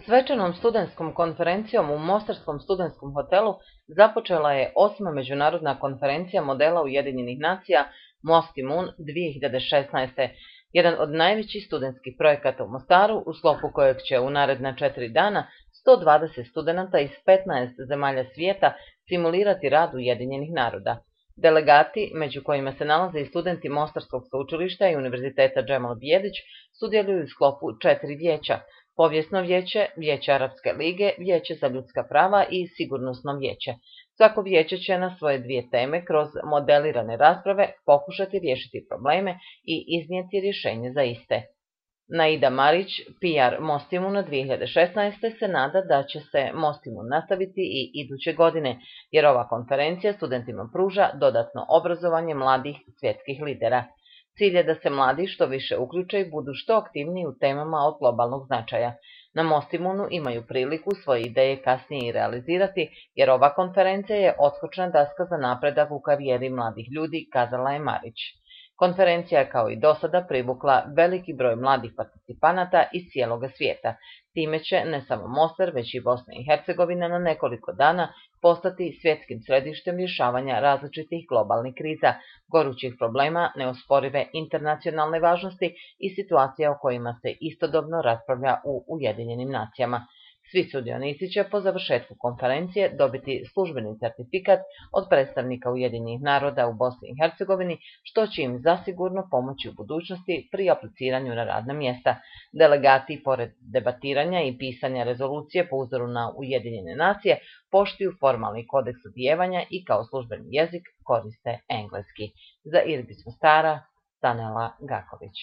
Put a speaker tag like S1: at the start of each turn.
S1: Svečanom studentskom konferencijom u Mostarskom studentskom hotelu započela je 8. međunarodna konferencija modela Ujedinjenih nacija Mostimun 2016. Jedan od najvećih studentskih projekata u Mostaru, u sklopu kojeg će u naredna 4 dana 120 studenata iz 15 zemalja svijeta simulirati rad Ujedinjenih naroda. Delegati, među kojima se nalaze i studenti Mostarskog sveučilišta i Univerziteta Džemal Bijedić, sudjeluju u sklopu 4 vijeća: Povijesno vijeće, Vijeće Arapske lige, Vijeće za ljudska prava i Sigurnosno vijeće. Svako vijeće će na svoje 2 teme kroz modelirane rasprave pokušati riješiti probleme i iznijeti rješenje za iste. Naida Marić, PR Mostimuna 2016. se nada da će se Mostimun nastaviti i iduće godine, jer ova konferencija studentima pruža dodatno obrazovanje mladih svjetskih lidera. Cilj je da se mladi što više uključe i budu što aktivniji u temama od globalnog značaja. Na Mostimunu imaju priliku svoje ideje kasnije i realizirati, jer ova konferencija je odskočna daska za napredak u karijeri mladih ljudi, kazala je Marić. Konferencija je kao i dosada privukla veliki broj mladih participanata iz cijeloga svijeta. Time će ne samo Mostar, već i Bosna i Hercegovina na nekoliko dana postati svjetskim središtem rješavanja različitih globalnih kriza, gorućih problema, neosporive internacionalne važnosti i situacija o kojima se istodobno raspravlja u Ujedinjenim nacijama. Svi sudionici će po završetku konferencije dobiti službeni certifikat od predstavnika Ujedinjenih naroda u Bosni i Hercegovini, što će im zasigurno pomoći u budućnosti pri apliciranju na radna mjesta. Delegati, pored debatiranja i pisanja rezolucije po uzoru na Ujedinjene nacije, poštuju formalni kodeks odijevanja i kao službeni jezik koriste engleski. Za Irbis Mostara, Stanela Gaković.